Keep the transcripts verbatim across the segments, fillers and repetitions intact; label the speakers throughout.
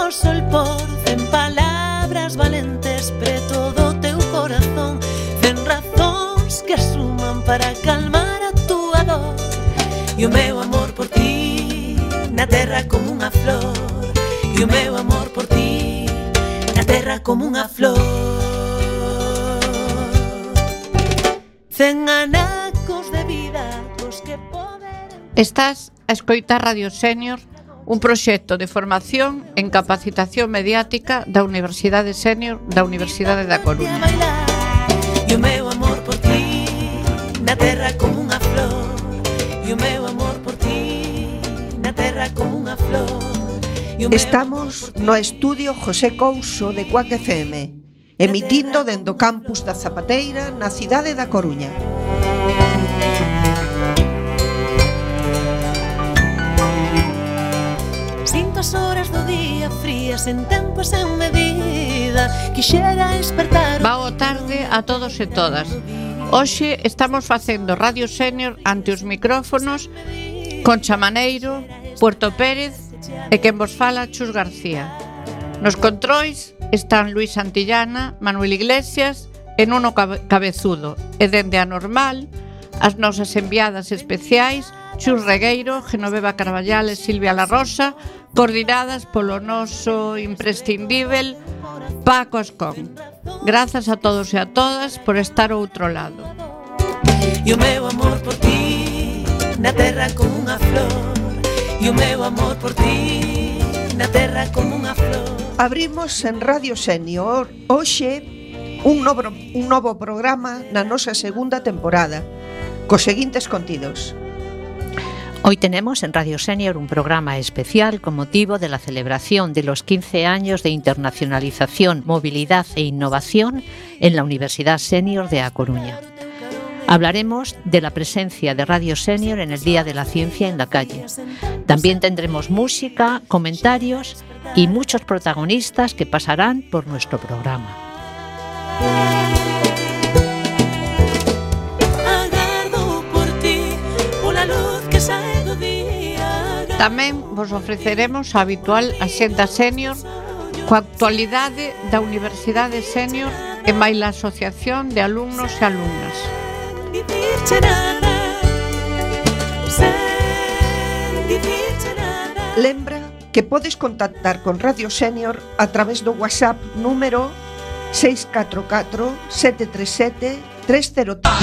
Speaker 1: o sol por cen palabras valentes preto do teu corazón, cen razóns que asuman para calmar a túa dor. E o meu amor por ti na terra como unha flor, e o meu amor por ti na terra como unha flor. Cen anacos de vida os que poder.
Speaker 2: Estás a escoitar Radio Sénior, un proxecto de formación en capacitación mediática da Universidade Sénior da Universidade da Coruña.
Speaker 1: E o meu amor por ti na terra como unha flor, e o meu amor por ti na terra como unha flor.
Speaker 3: Estamos no estudio José Couso de Cuac F M, emitindo dende o campus da Zapateira na cidade da Coruña.
Speaker 1: Sinto as horas do día frías en tempo e sen medida, quixera despertar.
Speaker 2: Boa tarde a todos e todas. Hoxe estamos facendo Radio Sénior ante os micrófonos Concha Maneiro, Puerto Pérez e quen vos fala, Chus García. Nos controis están Luis Santillana, Manuel Iglesias e Nuno Cabezudo, e dende a normal as nosas enviadas especiais Chus Regueiro, Genoveva Carballal e Silvia La Rosa, coordinadas polo noso imprescindível Paco Ascón. Grazas a todos e a todas por estar ao outro lado.
Speaker 1: E o meu amor por ti na terra como unha flor, e o meu amor por ti na terra como unha flor.
Speaker 3: Abrimos en Radio Sénior hoxe un novo, un novo programa na nosa segunda temporada, cos seguintes contidos.
Speaker 4: Hoy tenemos en Radio Sénior un programa especial con motivo de la celebración de los quince años de internacionalización, movilidad e innovación en la Universidad Sénior de A Coruña. Hablaremos de la presencia de Radio Sénior en el Día de la Ciencia en la calle. También tendremos música, comentarios y muchos protagonistas que pasarán por nuestro programa.
Speaker 2: Tamén vos ofreceremos a habitual Axenda Sénior coa actualidade da Universidade Sénior e máis a Asociación de Alumnos e Alumnas.
Speaker 3: Lembra que podes contactar con Radio Sénior a través do WhatsApp número seis catro catro, sete tres sete, tres cero tres.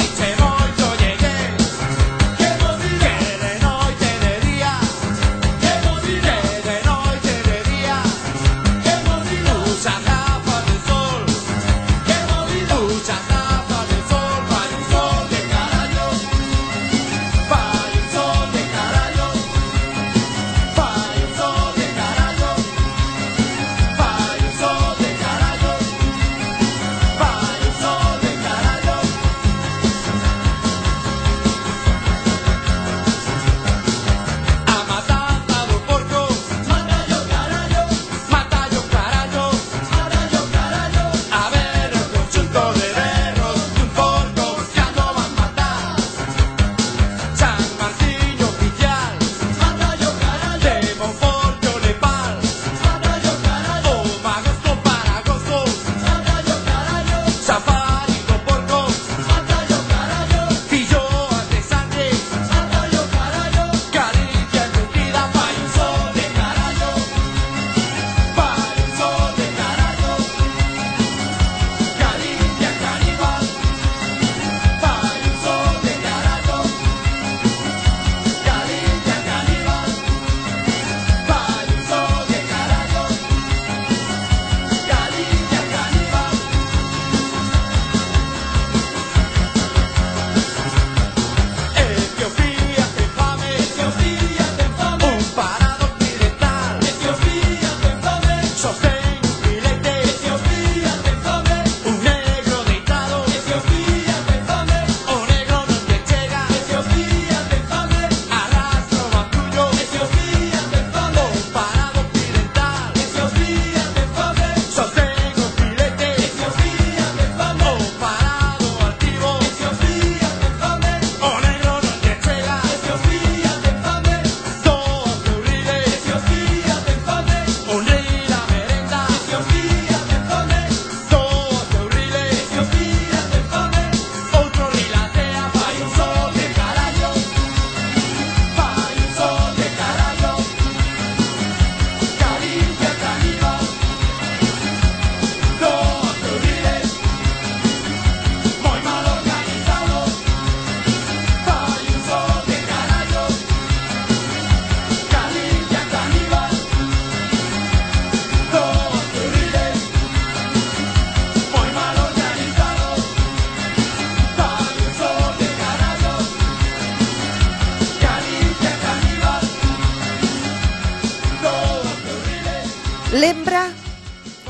Speaker 3: lembra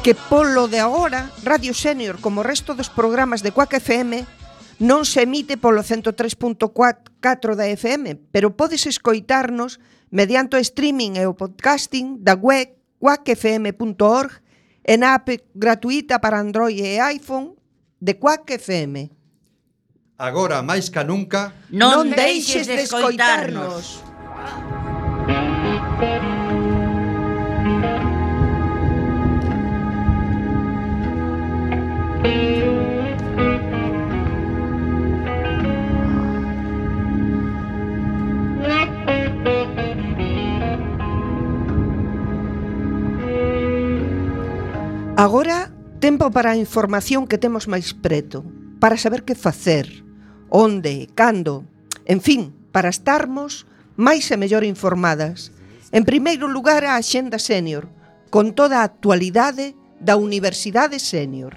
Speaker 3: que polo de agora Radio Senior, como o resto dos programas de Quack F M, non se emite polo ciento tres punto catro da F M, pero podes escoitarnos mediante o streaming e o podcasting da web quack f m punto org e na app gratuita para Android e iPhone de Quack F M.
Speaker 5: Agora, máis ca nunca,
Speaker 3: non, non deixes de escoitarnos. Agora, tempo para a información que temos máis preto, para saber que facer, onde, cando, en fin, para estarmos máis e mellor informadas. En primeiro lugar, a Axenda Senior, con toda a actualidade da Universidade Senior.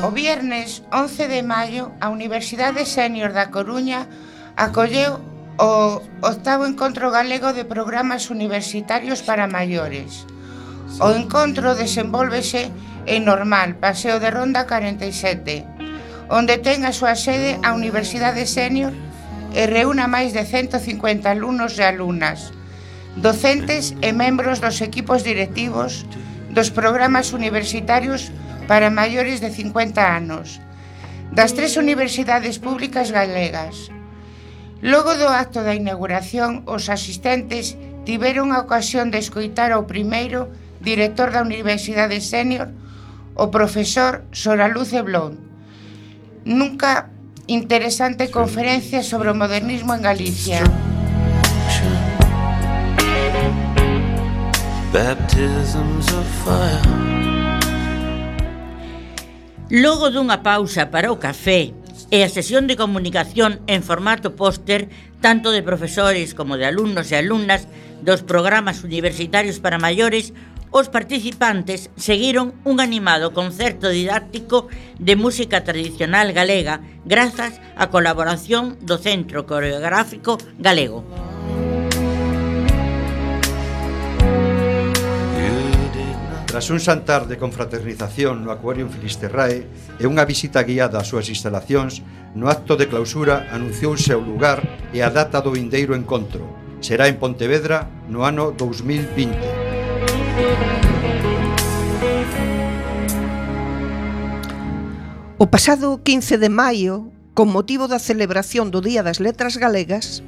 Speaker 6: O viernes once de maio, a Universidade Senior da Coruña acolleu o octavo encontro galego de programas universitarios para maiores. O encontro desenvólvese en Normal, Paseo de Ronda cuarenta y siete, onde ten a súa sede a Universidade Senior e reúna máis de ciento cincuenta alumnos e alumnas, docentes e membros dos equipos directivos dos programas universitarios para maiores de cincuenta anos, das tres universidades públicas galegas. Logo do acto da inauguración, os asistentes tiveron a ocasión de escoitar ao primeiro director da Universidade Senior, o profesor Soraluce Blond, nunca interesante conferencia sobre o modernismo en Galicia.
Speaker 7: Logo dunha pausa para o café e a sesión de comunicación en formato póster, tanto de profesores como de alumnos e alumnas dos programas universitarios para maiores, os participantes seguiron un animado concerto didáctico de música tradicional galega grazas á colaboración do Centro Coreográfico Galego.
Speaker 5: Tras un xantar de confraternización no Aquarium Filisterrae e unha visita guiada ás súas instalacións, no acto de clausura anunciouse o lugar e a data do vindeiro encontro. Será en Pontevedra no ano dous mil vinte.
Speaker 3: O pasado quince de maio, con motivo da celebración do Día das Letras Galegas,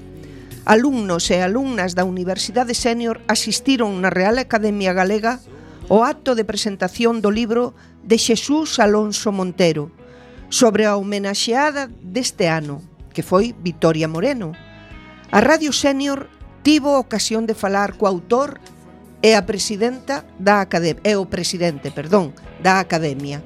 Speaker 3: alumnos e alumnas da Universidade Senior asistiron na Real Academia Galega o acto de presentación do libro de Xesús Alonso Montero sobre a homenaxeada deste ano, que foi Vitoria Moreno. A Radio Senior tivo ocasión de falar co autor e a presidenta da Academia, e o presidente, perdón, da Academia.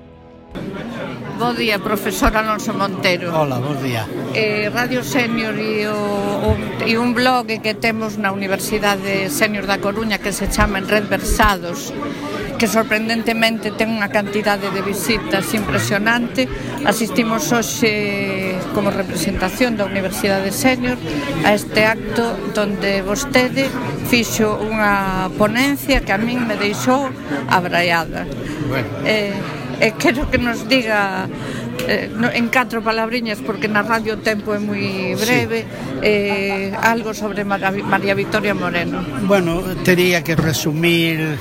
Speaker 2: Bo día, profesor Alonso Montero.
Speaker 8: Hola, bo día.
Speaker 2: Eh, Radio Senior e, o, o, e un blog que temos na Universidade Senior da Coruña que se chama Red Versados, que sorprendentemente ten unha cantidade de visitas impresionante. Asistimos hoxe como representación da Universidade Senior a este acto donde vostede fixo unha ponencia que a min me deixou abraiada.
Speaker 8: Bueno.
Speaker 2: Eh, e quero que nos diga eh, no, en catro palabriñas, porque na radio o tempo é moi breve, sí. eh, algo sobre María, María Vitoria Moreno.
Speaker 8: Bueno, tería que resumir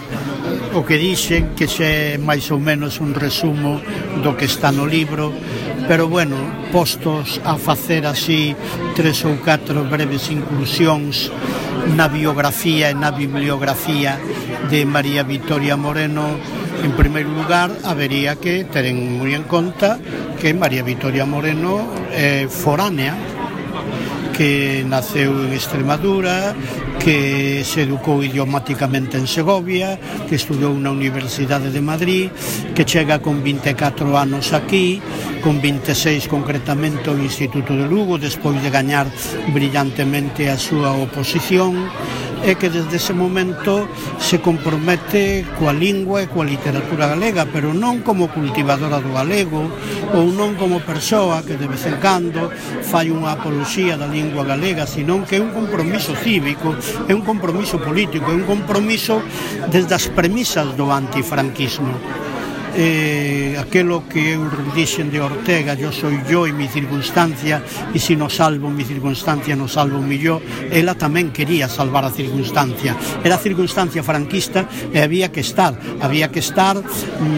Speaker 8: o que dixen, que xe máis ou menos un resumo do que está no libro, pero bueno, postos a facer así tres ou catro breves inclusións na biografía e na bibliografía de María Vitoria Moreno. En primeiro lugar, habería que ter moi en conta que María Vitoria Moreno é foránea, que naceu en Extremadura, que se educou idiomáticamente en Segovia, que estudou na Universidade de Madrid, que chega con vinte e catro anos aquí, con vinte e seis concretamente ao Instituto de Lugo, despois de gañar brillantemente a súa oposición. é que desde ese momento se compromete coa lingua e coa literatura galega, pero non como cultivadora do galego ou non como persoa que de vez en cando fai unha apoloxía da lingua galega, senón que é un compromiso cívico, é un compromiso político, é un compromiso desde as premisas do antifranquismo. Eh, aquelo que eu dixen de Ortega, yo soy yo e mi circunstancia, e si no salvo mi circunstancia, no salvo mi yo, ela tamén quería salvar a circunstancia. Era a circunstancia franquista e había que estar, había que estar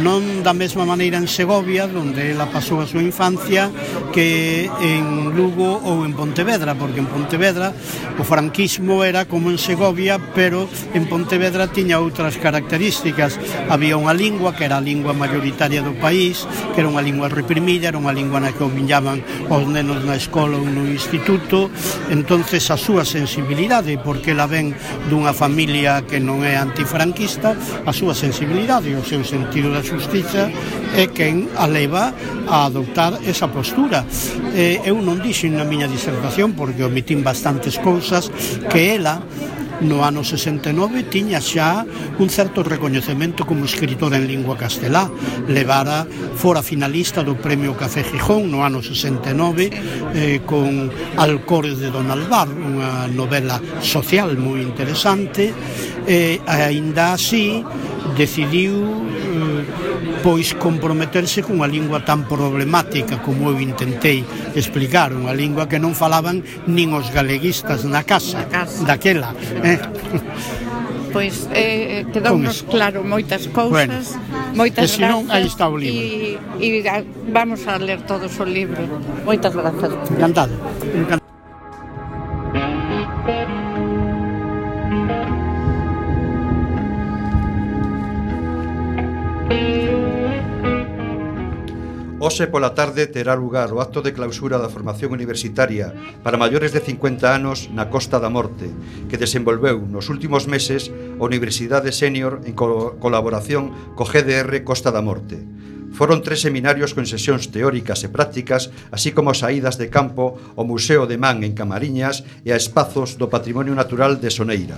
Speaker 8: non da mesma maneira en Segovia, onde ela pasou a súa infancia, que en Lugo ou en Pontevedra, porque en Pontevedra o franquismo era como en Segovia, pero en Pontevedra tiña outras características. Había unha lingua que era a lingua mayoritaria do país, que era unha lingua reprimida, era unha lingua na que omillaban os nenos na escola ou no instituto. Entonces a súa sensibilidade, porque ela ven dunha familia que non é antifranquista, a súa sensibilidade e o seu sentido da xustiza é quen a leva a adoptar esa postura. Eh, eu non dixen na miña disertación, porque omitín bastantes cousas, que ela no ano sesenta e nove tiña xa un certo recoñecemento como escritora en lingua castelá. Levara, fora finalista do Premio Café Gijón no ano sesenta e nove, eh, con Alcores de Don Alvar, unha novela social moi interesante, e aínda así decidiu eh, pois comprometerse cunha lingua tan problemática como eu intentei explicar, unha lingua que non falaban nin os galeguistas na casa, casa. daquela. Eh?
Speaker 2: Pois eh, quedounos claro moitas cousas, bueno, moitas
Speaker 8: gracias. Non, aí está o libro.
Speaker 2: E, e vamos a ler todos o libro. Moitas grazas.
Speaker 8: Encantado. Encantado.
Speaker 5: Hoxe pola tarde terá lugar o acto de clausura da formación universitaria para maiores de cincuenta anos na Costa da Morte, que desenvolveu nos últimos meses a Universidade Sénior en co colaboración co G D R Costa da Morte. Foron tres seminarios con sesións teóricas e prácticas, así como saídas de campo ao Museo de Man en Camariñas e a espazos do Patrimonio Natural de Soneira.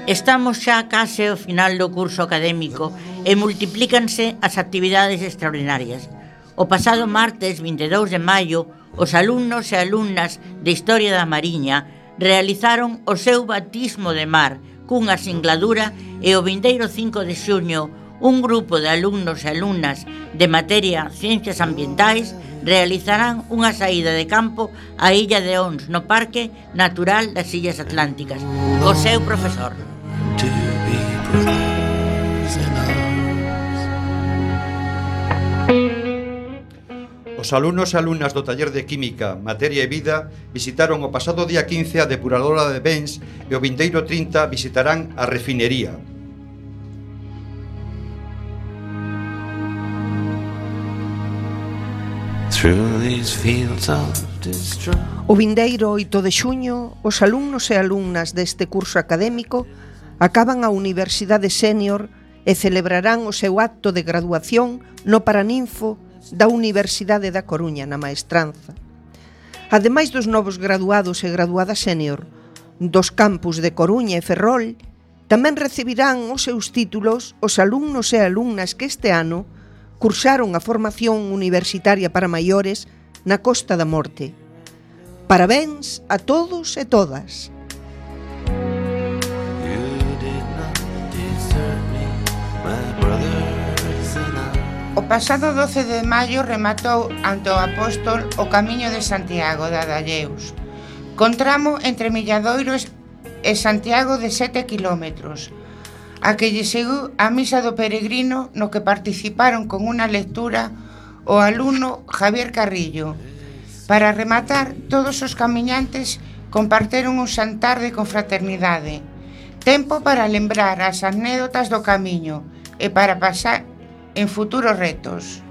Speaker 7: Estamos xa case ao final do curso académico e multiplícanse as actividades extraordinarias. O pasado martes vinte e dous de maio, os alumnos e alumnas de Historia da Mariña realizaron o seu batismo de mar cunha singladura e o vindeiro cinco de xuño un grupo de alumnos e alumnas de materia Ciencias Ambientais realizarán unha saída de campo á Illa de Ons no Parque Natural das Illas Atlánticas co seu profesor.
Speaker 5: Os alumnos e alumnas do taller de Química, Materia e Vida visitaron o pasado día quince a depuradora de Bens e o vindeiro trinta visitarán a refinería.
Speaker 3: O vindeiro oito de xuño, os alumnos e alumnas deste curso académico acaban a Universidade Sénior e celebrarán o seu acto de graduación no Paraninfo da Universidade da Coruña, na Maestranza. Ademais dos novos graduados e graduadas sénior dos campus de Coruña e Ferrol, tamén recibirán os seus títulos os alumnos e alumnas que este ano cursaron a formación universitaria para maiores na Costa da Morte. Parabéns a todos e todas.
Speaker 6: O pasado doce de maio rematou ante o apóstol o Camiño de Santiago de Adalleus, con tramo entre Milladoiro e Santiago de sete quilómetros, a que lle seguiu a misa do peregrino no que participaron con unha lectura o alumno Javier Carrillo. Para rematar, todos os camiñantes comparteron un xantar de confraternidade, tempo para lembrar as anécdotas do camiño e para pasar en futuros retos.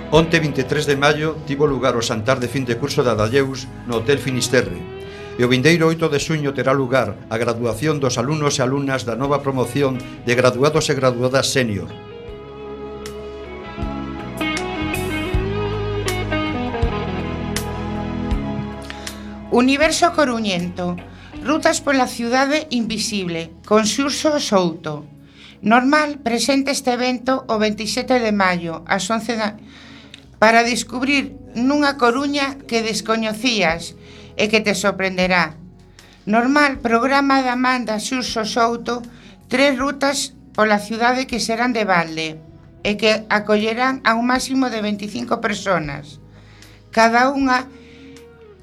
Speaker 5: Onte vinte e tres de maio tivo lugar o xantar de fin de curso de Adalleus no Hotel Finisterre. e o vindeiro oito de xuño terá lugar a graduación dos alumnos e alumnas da nova promoción de graduados e graduadas sénior.
Speaker 6: Universo coruñento. Rutas pola ciudade invisible, con Xurxo Souto. Normal presenta este evento o veintisiete de maio, ás once da... para descubrir nunha Coruña que descoñecías e que te sorprenderá. Normal programa da man da Xurxo Souto tres rutas pola ciudade que serán de balde e que acollerán a un máximo de veinticinco personas. Cada unha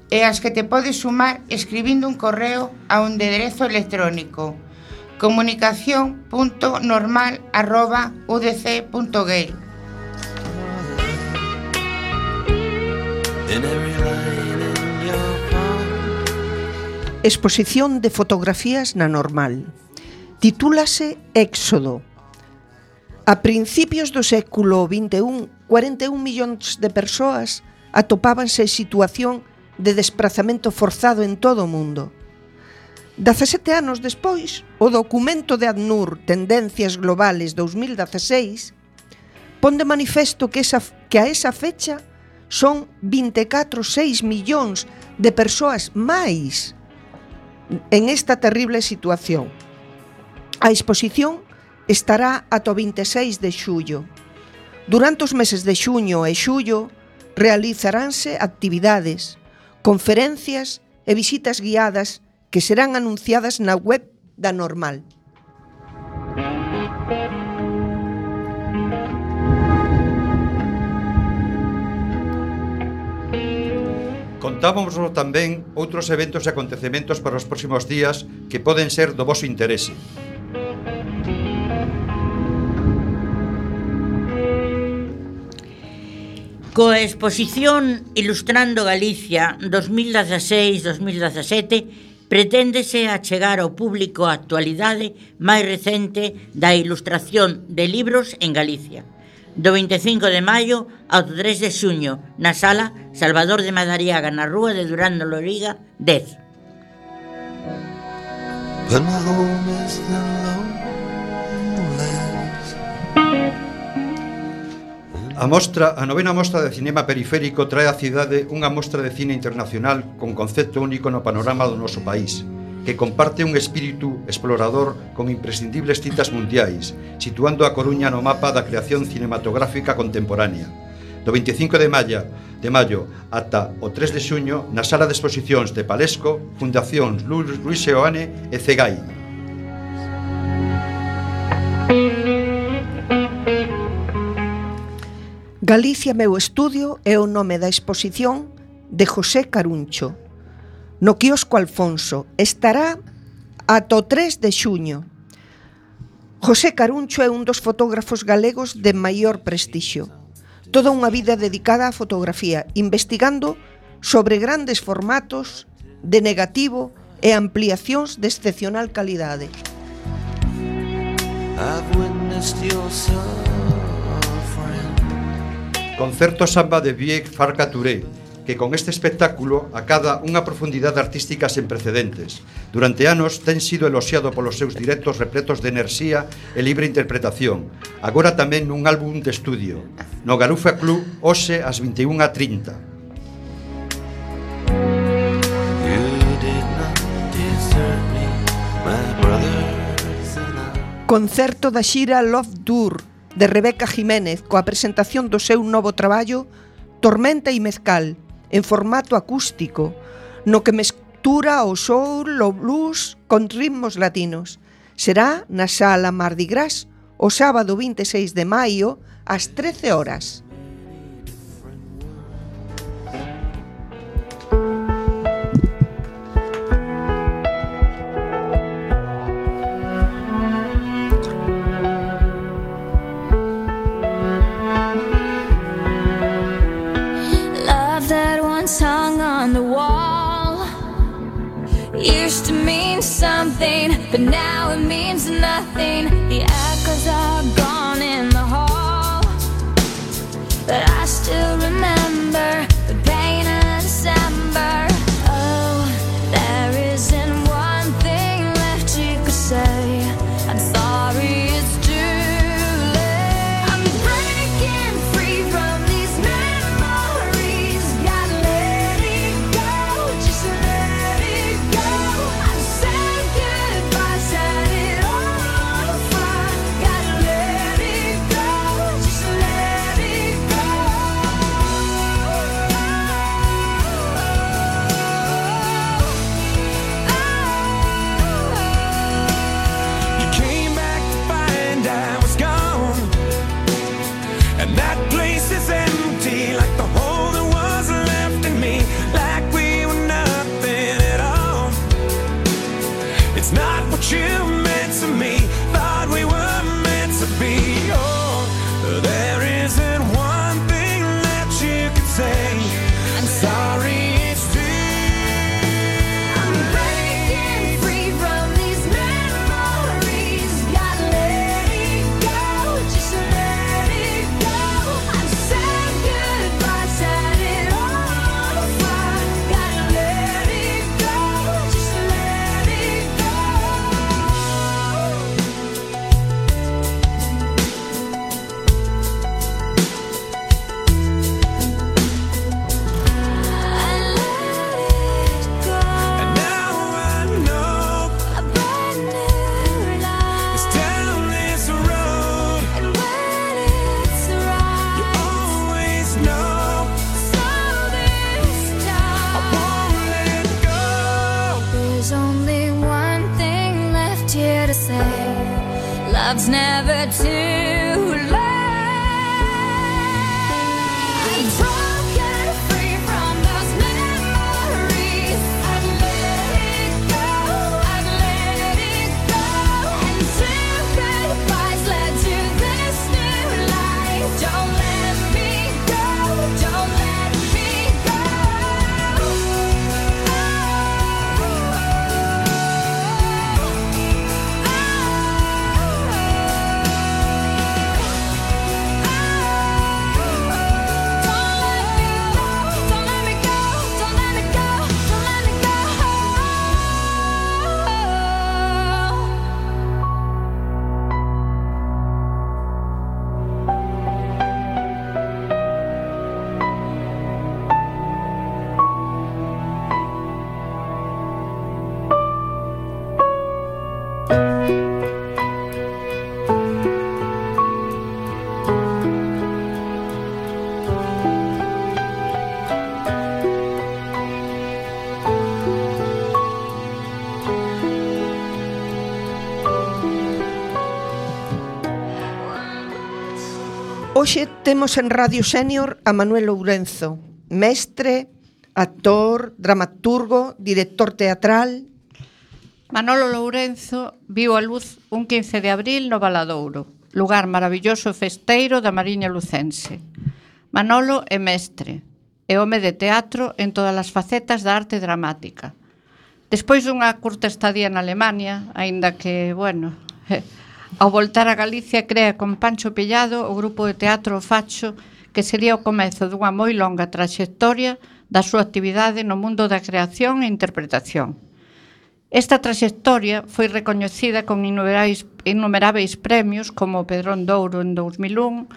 Speaker 6: e as que te podes sumar escribindo un correo a un enderezo electrónico comunicación punto normal arroba u d c punto gay.
Speaker 3: Exposición de fotografías na Normal. Titúlase Éxodo. A principios do século vinte e un, cuarenta e un millóns de persoas atopábanse en situación de desprazamento forzado en todo o mundo. dezasete anos despois, o documento de ACNUR Tendencias Globales dos mil dieciséis pon de manifesto que, esa, que a esa fecha son vinte e catro coma seis millóns de persoas máis en esta terrible situación. A exposición estará ata o vinte e seis de xullo. Durante os meses de xuño e xullo realizaránse actividades, conferencias e visitas guiadas que serán anunciadas na web da Normal.
Speaker 5: Contámoslo tamén outros eventos e acontecementos para os próximos días que poden ser do voso interese.
Speaker 7: Coa exposición Ilustrando Galicia dos mil dieciséis dos mil diecisiete preténdese achegar ao público a actualidade máis recente da ilustración de libros en Galicia, do vinte e cinco de maio ao tres de xuño na sala Salvador de Madariaga na rúa de Durán de Loriga dez.
Speaker 5: A mostra, a novena mostra de cinema periférico trae á cidade unha mostra de cine internacional con concepto único no panorama do noso país, que comparte un espírito explorador con imprescindibles citas mundiais, situando a Coruña no mapa da creación cinematográfica contemporánea. Do vinte e cinco de maio, de maio ata o tres de xuño na sala de exposicións de Palesco, Fundacións Luis Seoane e Cegai.
Speaker 3: Galicia meu estudio é o nome da exposición de José Caruncho. No quiosco Alfonso estará ata o tres de xuño. José Caruncho é un dos fotógrafos galegos de maior prestixio. Toda unha vida dedicada á fotografía, investigando sobre grandes formatos de negativo e ampliacións de excepcional calidade.
Speaker 5: Concerto Samba de Viec Farca Touré, que con este espectáculo acada unha profundidade artística sen precedentes. Durante anos ten sido eloxiado polos seus directos repletos de enerxía e libre interpretación, agora tamén nun álbum de estudio, no Garufa Club, hoxe ás vinte e unha e trinta.
Speaker 3: Concerto da xira Love Tour de Rebeca Jiménez coa presentación do seu novo traballo Tormenta e Mezcal en formato acústico, no que mestura o soul, o blues con ritmos latinos. Será na sala Mardi Gras o sábado vinte e seis de maio ás trece horas.
Speaker 9: Hung on the wall used to mean something, but now it means nothing. The echoes are gone in the hall, but I still remember the pain of December. Oh, there There's only one thing left here to say. Love's never too late. I'm drunk and free from those memories. I've let it go, I've let it go. And two goodbyes led to this new life. Don't let me go, don't let me go.
Speaker 3: Hoxe temos en Radio Sénior a Manuel Lourenzo, mestre, actor, dramaturgo, director teatral.
Speaker 2: Manolo Lourenzo viu a luz un quince de abril no Valadouro, lugar maravilloso e festeiro da Mariña lucense. Manolo é mestre, é home de teatro en todas as facetas da arte dramática. Despois dunha curta estadía na Alemania, aínda que, bueno, ao voltar a Galicia crea con Pancho Pellado o grupo de teatro Facho, que sería o comezo dunha moi longa traxectoria da súa actividade no mundo da creación e interpretación. Esta traxectoria foi recoñecida con innumeráveis, innumeráveis premios como o Pedrón de Ouro en dous mil un,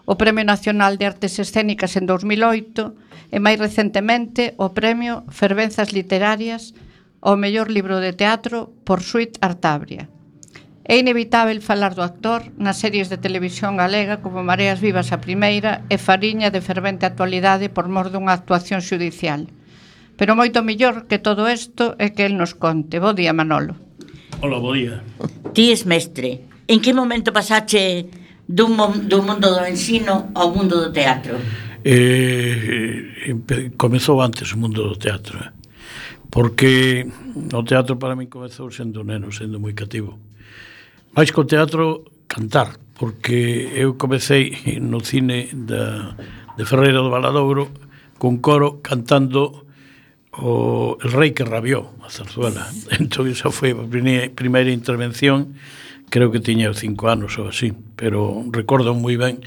Speaker 2: o Premio Nacional de Artes Escénicas en dous mil oito e máis recentemente o Premio Fervenzas Literarias ao mellor libro de teatro por Suite Artabria. É inevitável falar do actor nas series de televisión galega como Mareas Vivas a primeira e Fariña de fervente actualidade por mor dunha actuación xudicial. Pero moito mellor que todo isto é que el nos conte. Bo día, Manolo.
Speaker 10: Hola, bo día.
Speaker 7: Ti es mestre. En que momento pasache dun, dun mundo do ensino ao mundo do teatro?
Speaker 10: Eh, comezou antes o mundo do teatro, porque o teatro para mí comezou sendo neno, sendo moi cativo. Mais co teatro, cantar, porque eu comecei no cine da, de Ferreira do Valadouro con coro cantando o El Rei que rabió, a zarzuela. Entón, esa foi a primeira intervención, creo que tiña cinco anos ou así, pero recordo moi ben,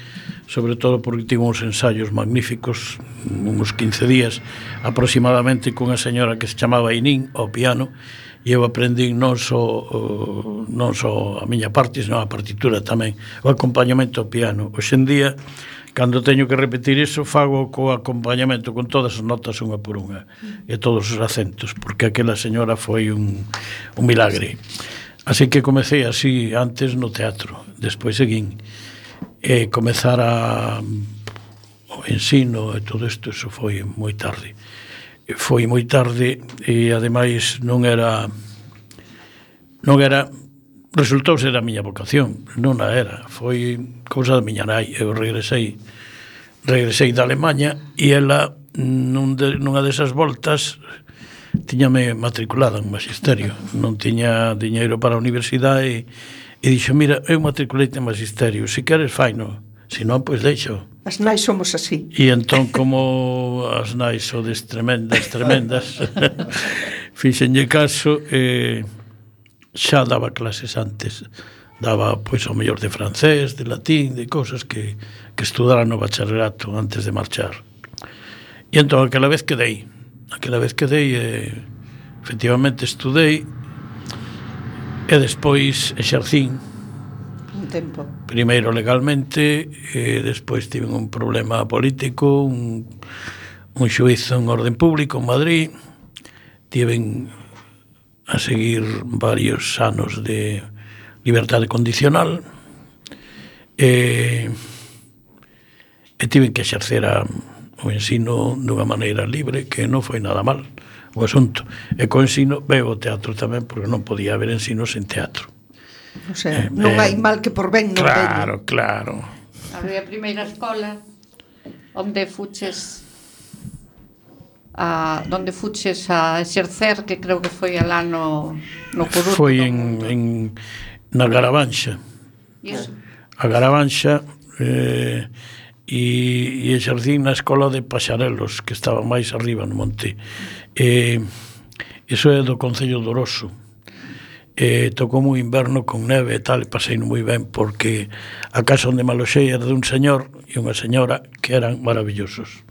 Speaker 10: sobre todo porque tivo uns ensaios magníficos, uns quince días aproximadamente, cunha señora que se chamaba Inín ao piano, e eu aprendi non só, non só a miña parte, senón a partitura tamén, o acompañamento ao piano. Hoxe en día, cando teño que repetir iso, fago co acompañamento con todas as notas unha por unha e todos os acentos, porque aquela señora foi un, un milagre. Así que comecei así antes no teatro, despois seguín e comezar a o ensino e todo isto, eso foi moi tarde. Foi moi tarde e ademais non era non era resultou ser a miña vocación, non a era, foi cousa da miña nai. Eu regresei regresei da Alemaña e ela nun de, nunha desas voltas tiñame matriculada en magisterio, non tiña diñeiro para a universidade e, e dixo, mira, eu matriculeite en magisterio, se queres faino, se non, pois deixo.
Speaker 3: As nais somos así.
Speaker 10: E entón, como as nais sodes tremendas, tremendas, fixenlle caso, e xa daba clases antes. Daba, pois, o mellor de francés, de latín, de cosas que, que estudara no bacharelato antes de marchar. E entón, aquela vez quedei. Aquela vez quedei, e, efectivamente, estudei, e despois exercín.
Speaker 3: Tempo.
Speaker 10: Primeiro legalmente e despois tive un problema político, un, un xuízo en orden público en Madrid, tiven a seguir varios anos de liberdade condicional e, e tiven que exercer a, o ensino dunha maneira libre, que non foi nada mal, o asunto. E co ensino veo o teatro tamén, porque non podía haber ensino sen teatro.
Speaker 3: O sea, eh, non eh, hai mal que por ben non
Speaker 10: claro,
Speaker 3: veño.
Speaker 10: Claro,
Speaker 2: claro. A primeira escola onde fuches a donde fuches a exercer, que creo que foi alá no no Coruto.
Speaker 10: Foi en, en na Garavanxa. A Garavanxa eh, e, e exercín na escola de Paxarelos, que estaba máis arriba no monte. Eh, iso é do Concello de Oroso. Eh, tocou un inverno con neve e tal, e pasei moi ben, porque a casa onde me aloxei era dun señor e unha señora que eran maravillosos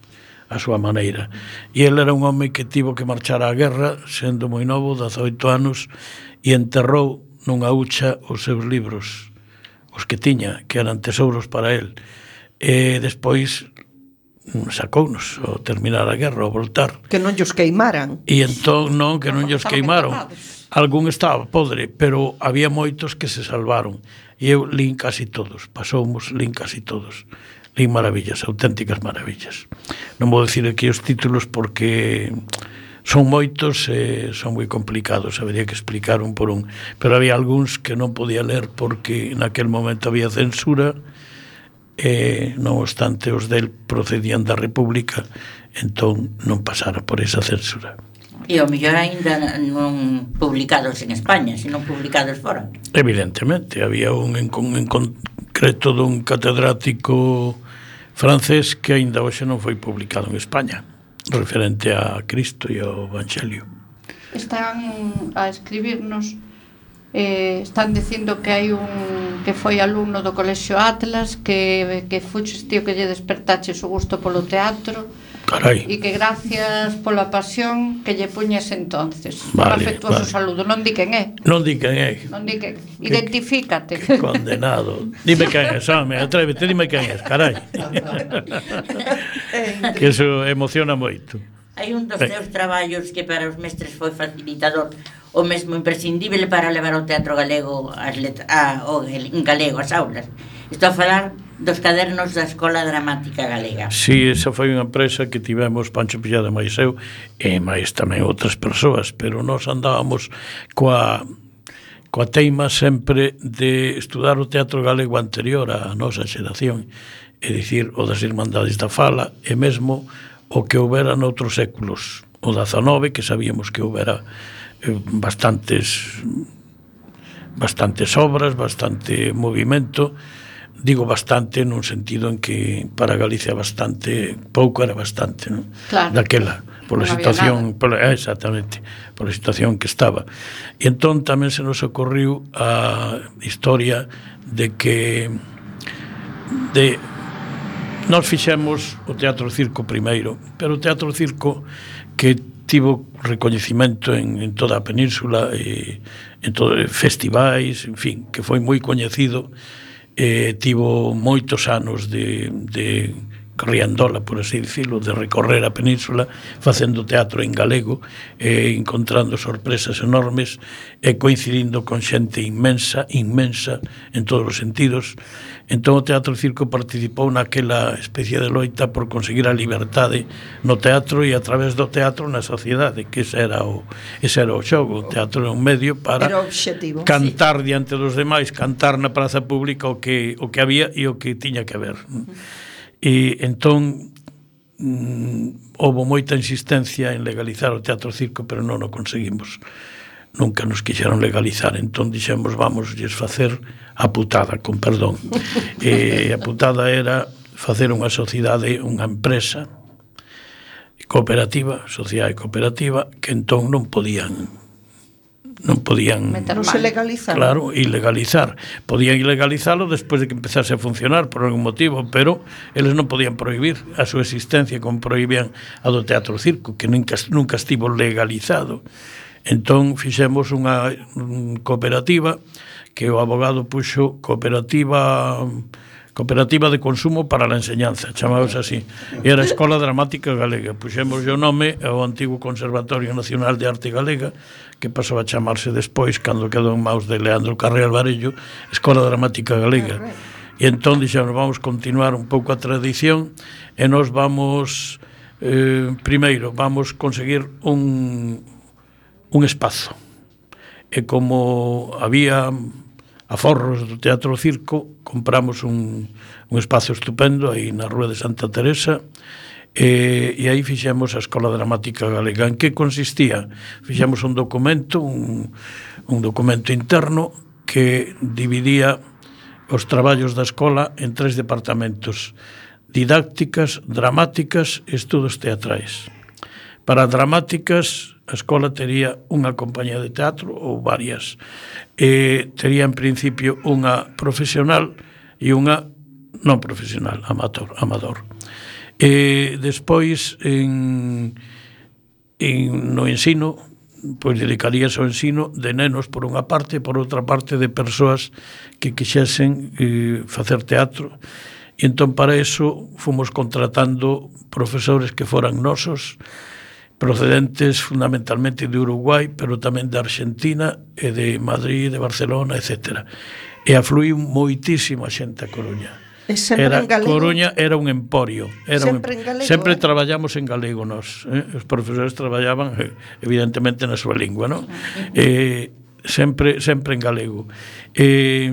Speaker 10: a súa maneira, e ele era un home que tivo que marchar á guerra sendo moi novo, dezoito anos, e enterrou nunha hucha os seus libros, os que tiña, que eran tesouros para el, e despois sacounos ao terminar a guerra, ao voltar.
Speaker 3: Que non llos queimaran.
Speaker 10: E entón, non, que non llos queimaron. Algún estaba podre, pero había moitos que se salvaron. E eu lín casi todos, pasoumos, lín casi todos. Lín maravillas, auténticas maravillas. Non vou dicir aquí os títulos porque son moitos e son moi complicados, habería que explicar un por un, pero había algúns que non podía ler porque naquel momento había censura e non obstante os del procedían da República, entón non pasara por esa censura.
Speaker 7: E ao mellor ainda non publicados en España, sino publicados fora.
Speaker 10: Evidentemente, había un en, en concreto dun catedrático francés que aínda hoxe non foi publicado en España, referente a Cristo e ao Evangelio.
Speaker 2: Están a escribirnos, eh, están dicindo que hai un que foi alumno do Colexio Atlas, que, que fuches tío que lle despertaches o gusto polo teatro.
Speaker 10: Carai.
Speaker 2: E que gracias pola pasión que lle puñes entonces.
Speaker 10: Vale,
Speaker 2: un afectuoso
Speaker 10: vale.
Speaker 2: saludo. Non di quen é.
Speaker 10: Non di quen é.
Speaker 2: Non di quen. Identifícate.
Speaker 10: Que condenado. Dime quen é, home, atrévete, dime quen é, carai. Que eso emociona moito.
Speaker 7: Hai un dos teus traballos que para os mestres foi facilitador, o mesmo imprescindible para levar o teatro galego as letra, a, o, en galego as aulas. Estou a falar dos cadernos da Escola Dramática Galega.
Speaker 10: Si, sí, esa foi unha empresa que tivemos Pancho Pillada máis eu e máis tamén outras persoas, pero nós andábamos coa coa teima sempre de estudar o teatro galego anterior á nosa xeración, é dicir, o das Irmandades da Fala e mesmo o que houbera noutros séculos, o dezanove, que sabíamos que houbera eh, bastantes bastantes obras, bastante movimento. Digo bastante nun sentido en que para Galicia bastante, pouco era bastante, non?
Speaker 2: Claro.
Speaker 10: Daquela, pola
Speaker 2: non
Speaker 10: situación, pola, exactamente, pola situación que estaba. E entón tamén se nos ocorriu a historia de que de nós fixemos o Teatro Circo primeiro, pero o Teatro Circo que tivo recoñecimento en, en toda a península e en todos festivais, en fin, que foi moi coñecido. Eh, tivo moitos anos de, de riandola, por así dicirlo, de recorrer a península facendo teatro en galego, eh, encontrando sorpresas enormes e coincidindo con xente inmensa, inmensa en todos os sentidos. Entón o Teatro Circo participou naquela especie de loita por conseguir a liberdade no teatro e a través do teatro na sociedade, que ese era o, ese era o xogo. O teatro era un medio para cantar sí. diante dos demais, cantar na praza pública o que, o que había e o que tiña que haber. Uh-huh. E entón mm, houve moita insistencia en legalizar o Teatro Circo, pero non o conseguimos. Nunca nos quixeron legalizar, entón dixemos vamos lles facer a putada, con perdón. E a putada era facer unha sociedade, unha empresa cooperativa, sociedade cooperativa, que entón non podían non podían
Speaker 3: non se legalizar.
Speaker 10: Claro, ilegalizar. Podían ilegalizalo despois de que empezase a funcionar por algún motivo, pero eles non podían prohibir a súa existencia como prohibían a do Teatro Circo, que nunca, nunca estivo legalizado. Entón fixemos unha cooperativa que o abogado puxo cooperativa cooperativa de consumo para a enseñanza, chamábase así, e era a Escola Dramática Galega. Puxemos o nome ao antigo Conservatorio Nacional de Arte Galega, que pasou a chamarse despois, cando quedou en maus de Leandro Carré Alvarello, Escola Dramática Galega. E entón dixemos, vamos continuar un pouco a tradición e nos vamos eh, primeiro vamos conseguir un, un espazo. E como había aforros do Teatro Circo, compramos un, un espazo estupendo aí na Rúa de Santa Teresa, e, e aí fixemos a Escola Dramática Galega. En que consistía? Fixemos un documento, un, un documento interno que dividía os traballos da escola en tres departamentos: didácticas, dramáticas e estudos teatrais. Para dramáticas, a escola tería unha compañía de teatro ou varias. E tería en principio unha profesional e unha non profesional, amateur, amador. E despois, en, en, no ensino, pois dedicaríase ao ensino de nenos por unha parte, e por outra parte de persoas que quixesen eh, facer teatro. E entón para eso fomos contratando profesores que foran nosos, procedentes fundamentalmente de Uruguai, pero tamén de Argentina e de Madrid, de Barcelona, etcétera. E afluiu moitísima xente a Coruña. Era, Coruña era un emporio. Era sempre, un, en galego, sempre eh? traballamos en galego nós. Eh? Os profesores traballaban eh, evidentemente na súa lingua, non? Eh, sempre, sempre en galego. Eh,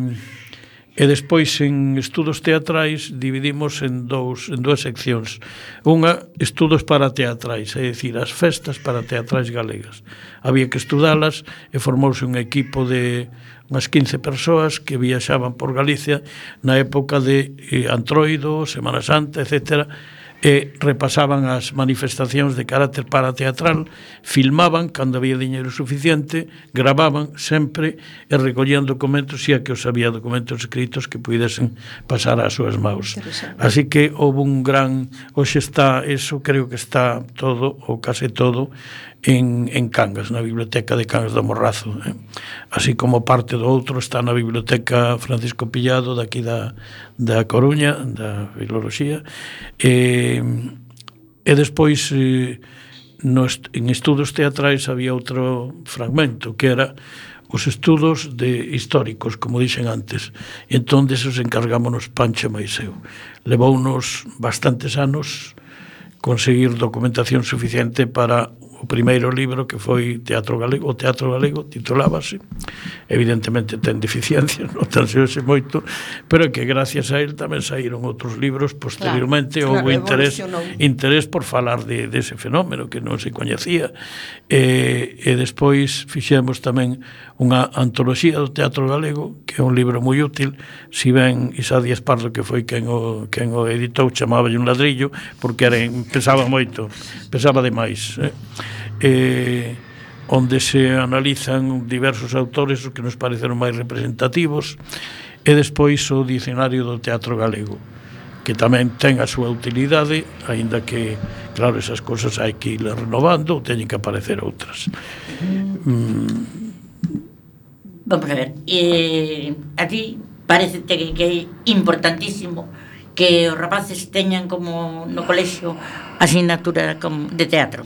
Speaker 10: E despois en estudos teatrais dividimos en dous en dúas seccións. Unha, estudos para teatrais, é dicir, as festas para teatrais galegas. Había que estudalas e formouse un equipo de unhas quince persoas que viaxaban por Galicia na época de eh, Antroido, Semana Santa, etcétera, e repasaban as manifestacións de carácter parateatral, filmaban cando había diñeiro suficiente, gravaban sempre e recollían documentos, xa que os había documentos escritos que pudesen pasar ás súas maus. Así que houve un gran... Hoxe está, eso creo que está todo, ou case todo, en, en Cangas, na Biblioteca de Cangas do Morrazo. Eh? Así como parte do outro está na Biblioteca Francisco Pillado, daqui da, da Coruña, da Filoloxía. E, e despois, eh, no, en estudos teatrais había outro fragmento, que era os estudos de históricos, como dixen antes. E entón, desos encargámonos Pancho Maiseu. Levounos bastantes anos conseguir documentación suficiente para o primeiro libro, que foi Teatro Galego, o Teatro Galego, titulábase. Evidentemente ten deficiencias, non tan se hoxe moito, pero que gracias a él tamén saíron outros libros posteriormente. Claro, houve claro, interés, interés por falar de, de ese fenómeno que non se coñecía. E, e despois fixemos tamén unha antoloxía do Teatro Galego, que é un libro moi útil, si ben Isa Díaz Pardo, que foi quen o, quen o editou, chamaba un ladrillo, porque era, pesaba moito, pesaba demais, eh? Eh, onde se analizan diversos autores os que nos pareceron máis representativos, e despois o Dicionario do Teatro Galego, que tamén ten a súa utilidade, aínda que, claro, esas cosas hai que ir renovando, ou teñen que aparecer outras. Mm.
Speaker 7: Vamos a ver, eh, a ti parece que, que é importantísimo que os rapaces teñan como no colexio asignatura de teatro.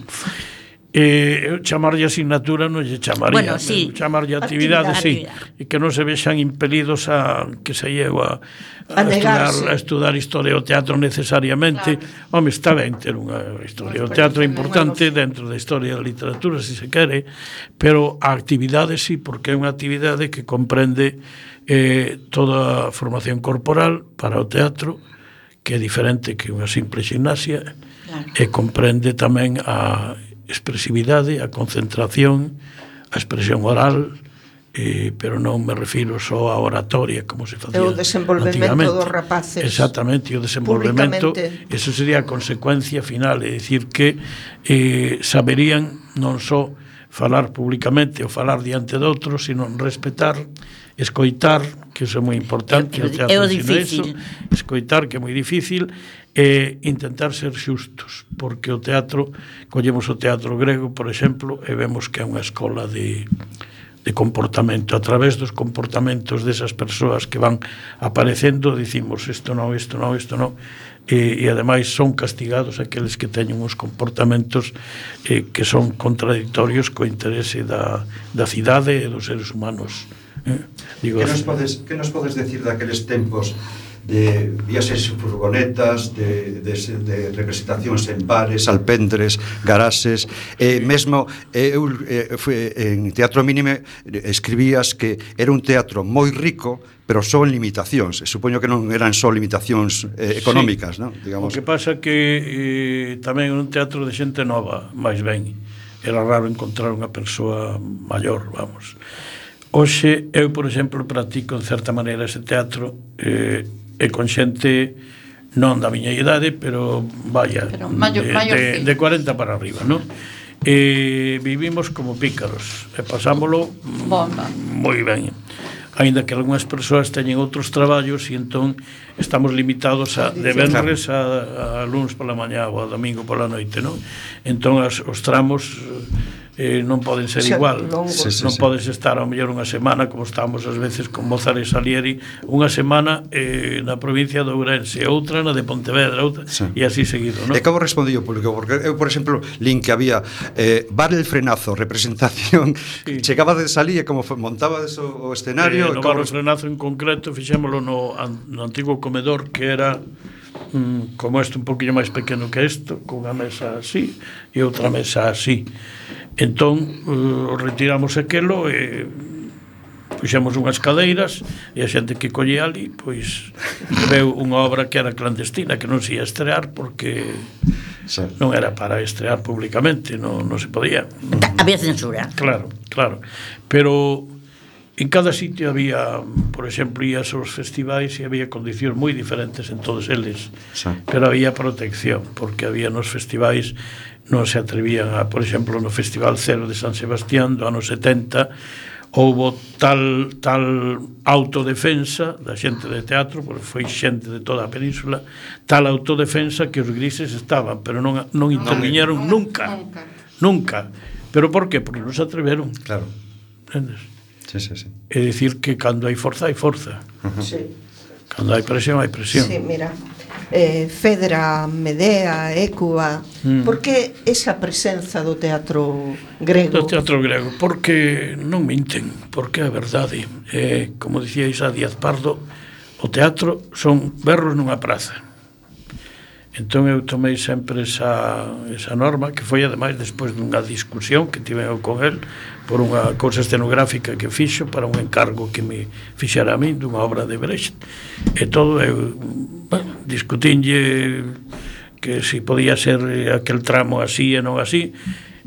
Speaker 10: Eh, chamarlle asignatura non lle chamaría,
Speaker 7: bueno, sí.
Speaker 10: chamarlle actividade, sí, e que non se vexan impelidos a que se llevo a, a, a, estudar, a estudar historia do teatro necesariamente. Claro. Home, está ben ter unha historia do teatro importante dentro da historia da literatura, se se quere, pero a actividade sí, porque é unha actividade que comprende eh, toda a formación corporal para o teatro, que é diferente que unha simple gimnasia, claro. E comprende tamén a expresividade, a concentración, a expresión oral, eh, pero non me refiro só a oratoria como se facía
Speaker 3: o desenvolvemento dos rapaces.
Speaker 10: Exactamente, o desenvolvemento, eso sería a consecuencia final, é dicir que eh, saberían non só falar públicamente ou falar diante de outros, sino respetar, escoitar, que iso é moi importante,
Speaker 7: é, é, é o difícil.
Speaker 10: Eso, escoitar, que é moi difícil, e intentar ser xustos, porque o teatro, collemos o teatro grego, por exemplo, e vemos que é unha escola de, de comportamento. A través dos comportamentos desas persoas que van aparecendo, dicimos isto non, isto non, isto non, e, e ademais son castigados aqueles que teñen uns comportamentos eh, que son contradictorios co interese da, da cidade e dos seres humanos. Eh?
Speaker 5: Digo, que nos podes, que nos podes decir daqueles tempos de viaxes en furgonetas, de, de, de representacións en bares, alpendres, garaxes, e mesmo eu eh, fui, en Teatro Mínime escribías que era un teatro moi rico, pero só en limitacións. E supoño que non eran só limitacións eh, económicas,
Speaker 10: sí.
Speaker 5: Non? Digamos.
Speaker 10: O que pasa que eh, tamén un teatro de xente nova, máis ben. Era raro encontrar unha persoa maior, vamos. Hoxe, eu, por exemplo, practico en certa maneira ese teatro eh, e con xente non da miña idade, pero vaya,
Speaker 2: pero mayor,
Speaker 10: de,
Speaker 2: mayor,
Speaker 10: de,
Speaker 2: sí.
Speaker 10: de cuarenta para arriba, non? E vivimos como pícaros e pasámoslo
Speaker 2: Bomba.
Speaker 10: moi ben. Ainda que algunhas persoas teñen outros traballos e entón estamos limitados a de venres a, a luns pola mañá ou a domingo pola noite, non? Entón as, os tramos eh, non poden ser
Speaker 3: Xa,
Speaker 10: igual.
Speaker 3: longos.
Speaker 10: Sí, sí, non sí. Podes estar ao mellor unha semana, como estamos ás veces con Mozart e Salieri, unha semana eh, na provincia de Ourense, outra na de Pontevedra, outra, sí. E así seguido, non?
Speaker 5: E como respondí o público? Porque eu, por exemplo, lin que había eh, Bar el Frenazo, representación, sí. Chegaba de salir e como montaba o escenario...
Speaker 10: Eh, no Bar el Frenazo en concreto fixémolo no, no antigo comedor, que era mm, como este un poquinho máis pequeno que isto, con unha mesa así e outra mesa así. Entón, uh, retiramos aquelo e puxemos unhas cadeiras e a xente que colle ali, pois veu unha obra que era clandestina, que non se ia estrear porque sí. Non era para estrear públicamente, non, non se podía.
Speaker 7: Había censura.
Speaker 10: Claro, claro. Pero en cada sitio había, por exemplo, ías aos festivais e había condicións moi diferentes en todos eles, sí. Pero había protección, porque había nos festivais non se atrevían a, por exemplo, no Festival Cero de San Sebastián do ano setenta houbo tal tal autodefensa da xente de teatro, porque foi xente de toda a península, tal autodefensa que os grises estaban, pero non, non interviñeron no, nunca, nunca, nunca. Pero por qué? Porque non se atreveron.
Speaker 5: Claro.
Speaker 10: Entendes?
Speaker 5: Sí, sí, sí.
Speaker 10: É dicir que cando hai forza, hai forza.
Speaker 3: Uh-huh. Sí.
Speaker 10: Cando hai presión, hai presión.
Speaker 3: Sí, mira, eh, Fedra, Medea, Écuba, mm. por que esa presenza do teatro grego?
Speaker 10: Do teatro grego, porque non minten, porque é a verdade. Eh, como dicía Isa Díaz Pardo, o teatro son berros nunha praza. Entón eu tomei sempre esa, esa norma, que foi ademais despois dunha discusión que tive eu con el por unha cousa escenográfica que fixo para un encargo que me fixera a min dunha obra de Brecht, e todo eu bueno, discutinlle que se si podía ser aquel tramo así e non así,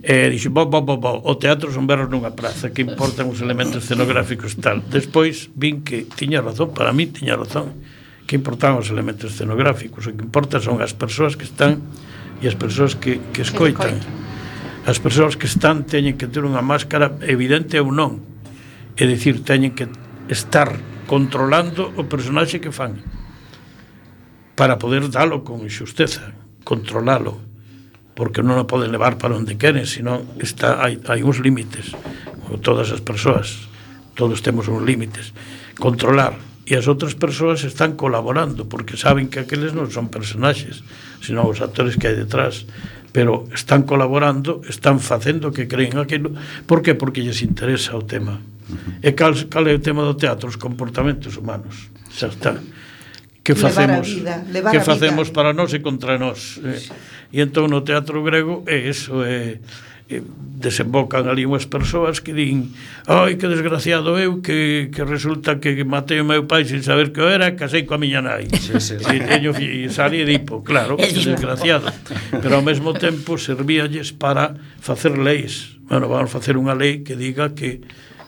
Speaker 10: e dixo, bo, bo, bo, bo, o teatro son berros nunha praza, que importan os elementos escenográficos tal. Despois vin que tiña razón, para mí tiña razón, que importan os elementos escenográficos, o que importa son as persoas que están e as persoas que, que escoitan. As persoas que están teñen que ter unha máscara evidente ou non, é dicir, teñen que estar controlando o personaxe que fan para poder dalo con xusteza, controlalo, porque non o poden levar para onde queren, senón está, hai, hai uns límites, todas as persoas, todos temos uns límites, controlar. E as outras persoas están colaborando porque saben que aqueles non son personaxes, senón os actores que hai detrás, pero están colaborando, están facendo que creen aquilo. Por que? Porque lles interesa o tema. E cal, cal é o tema do teatro? Os comportamentos humanos. Xa está. Que facemos, que facemos para nós e contra nós. Eh? E entón no teatro grego é eso, é e desembocan ali unhas persoas que din, ai, que desgraciado eu que, que resulta que matei o meu pai sin saber que eu era, casei coa miña nai, sí, sí, sí. E teño e salí e dipo, claro, que desgraciado, pero ao mesmo tempo servíalles para facer leis. Bueno, vamos facer unha lei que diga que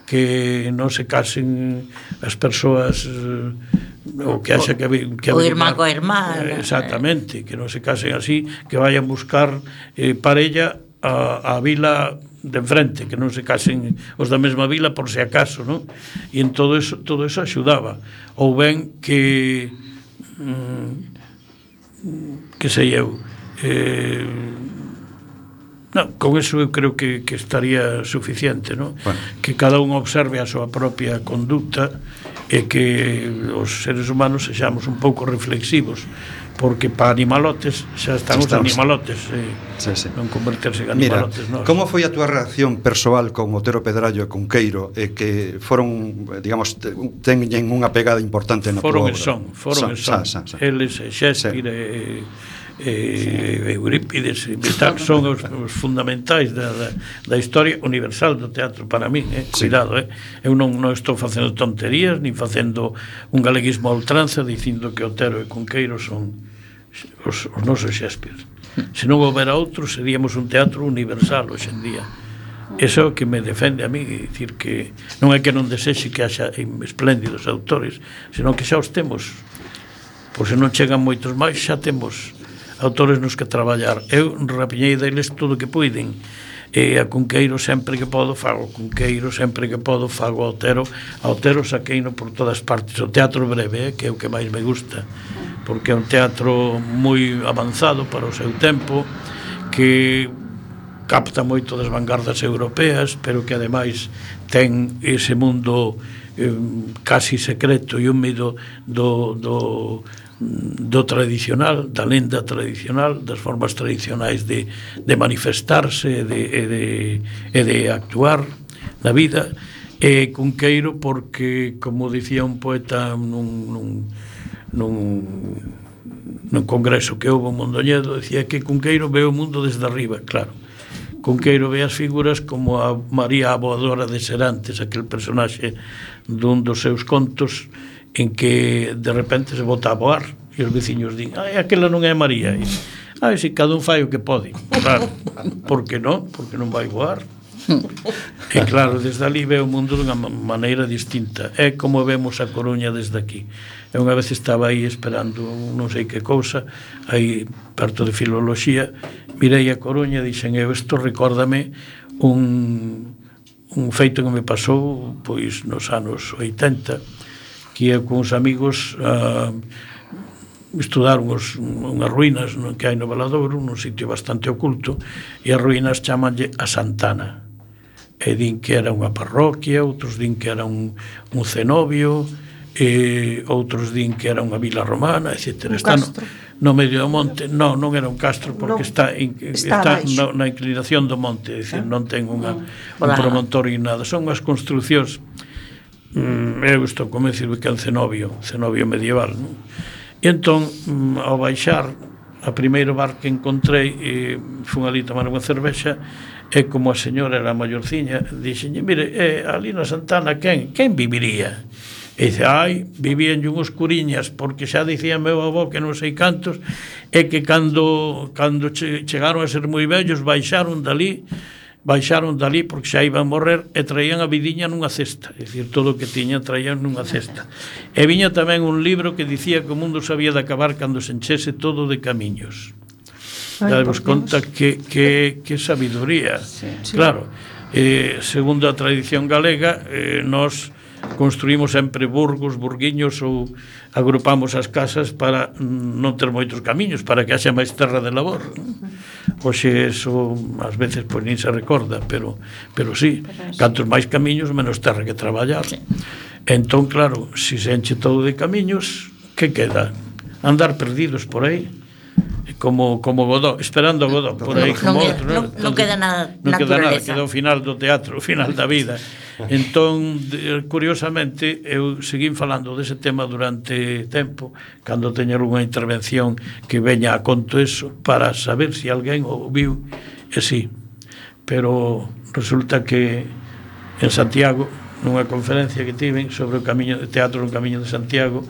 Speaker 10: que non se casen as persoas ou que haxa que, que
Speaker 7: o irmán coa irmán,
Speaker 10: exactamente, que non se casen así, que vayan buscar eh, parella a, a vila de enfrente, que non se casen os da mesma vila por se acaso, non? E en todo eso, todo eso axudaba. Ou ben que mm, que sei eu eh, non, con eso eu creo que, que estaría suficiente, non? Bueno. Que cada un observe a súa propia conducta e que os seres humanos sexamos un pouco reflexivos, porque para animalotes xa están os animalotes, eh, sí, sí. non converterse en animalotes.
Speaker 5: Mira, como foi a túa reacción persoal con Otero Pedrallo e con Queiro, e que foron, digamos, teñen unha pegada importante na
Speaker 10: foron
Speaker 5: túa obra?
Speaker 10: Son, foron son, son. son. Eles, Shakespeare sí. e, e Eurípides e tal, son os, os fundamentais da, da, da historia universal do teatro para mí, eh? Sí. Cuidado, eh? Eu non, non estou facendo tonterías nin facendo un galeguismo a ultranza dicindo que Otero e Cunqueiro son os, os nosos Shakespeare. Se non houbera outro, seríamos un teatro universal hoxe en día. Eso é o que me defende a mí, dicir que non é que non desexe que haxa espléndidos autores, senón que xa os temos. Por se non chegan moitos máis, xa temos autores nos que traballar. Eu rapiñei deles todo o que puiden, e a Cunqueiro sempre que podo fago Cunqueiro, sempre que podo fago Otero. A Otero saqueino por todas partes. O teatro breve, eh, que é o que máis me gusta, porque é un teatro moi avanzado para o seu tempo, que capta moito das vanguardas europeas, pero que ademais ten ese mundo eh, casi secreto e húmido do, do, do tradicional, da lenda tradicional, das formas tradicionais de, de manifestarse e de, e de, e de actuar na vida. E Cunqueiro porque, como dicía un poeta nun, nun nun, nun congreso que houve en Mondoñedo, decía que Cunqueiro ve o mundo desde arriba. Claro, Cunqueiro ve as figuras como a María a Voadora de Serantes, aquel personaxe dun dos seus contos en que de repente se bota a voar e os veciños din, ai, aquela non é María, e, ai, si cada un fai o que pode. Claro, por que non? Porque non vai voar. E claro, desde ali ve o mundo dunha maneira distinta. É como vemos a Coruña desde aquí. E unha vez estaba aí esperando non sei que cousa, aí perto de Filoloxía, mirei a Coruña e dixen, eu, isto recórdame un, un feito que me pasou pois nos anos oitenta, que eu con uns amigos a estudar unhos, unhas ruínas no, que hai no Valadouro, nun sitio bastante oculto, e as ruínas chamanlle a Santana, e din que era unha parroquia, outros din que era un, un cenobio, e outros din que era unha vila romana, etcétera. Está no, no medio do monte. Non, non era un castro, porque no, está, in, está, está na, na inclinación do monte, é dicir, non ten unha, un promontorio e nada. Son unhas construcións, mm, eu estou convencido que é un cenobio, cenobio medieval, non? E entón, mm, ao baixar, a primeiro bar que encontrei, e fun ali tomar unha cervexa, e como a señora era maiorciña, dixenlle, mire, eh, ali na Santana, quen, quen viviría? E dice, ai, vivían unhos curiñas, porque xa dicía meu avó que non sei cantos, e que cando, cando che, chegaron a ser moi vellos, baixaron dali, baixaron dali porque xa iban a morrer, e traían a vidiña nunha cesta, é dicir, todo o que tiñan traían nunha cesta. E viña tamén un libro que dicía que o mundo se había de acabar cando se enchese todo de camiños. Damos conta que, que, que sabiduría. Sí, sí. Claro, eh, segundo a tradición galega, eh, nós construímos sempre burgos, burguiños, ou agrupamos as casas para non ter moitos camiños, para que haxa máis terra de labor. Oxe, eso ás veces pois nin se recorda, pero, pero sí, cantos máis camiños, menos terra que traballar. Entón, claro, se se enche todo de camiños, que queda? Andar perdidos por aí, como como Godó, esperando a Godó por aí como
Speaker 7: non,
Speaker 10: outro,
Speaker 7: non, non queda nada
Speaker 10: non queda nada,
Speaker 7: naturaleza.
Speaker 10: queda o final do teatro, o final da vida. Entón, curiosamente, eu seguín falando dese tema durante tempo, cando teña unha intervención que veña a conto eso, para saber se alguén o viu, e sí. Pero resulta que en Santiago, nunha conferencia que tiven sobre o camiño de teatro no Camiño de Santiago,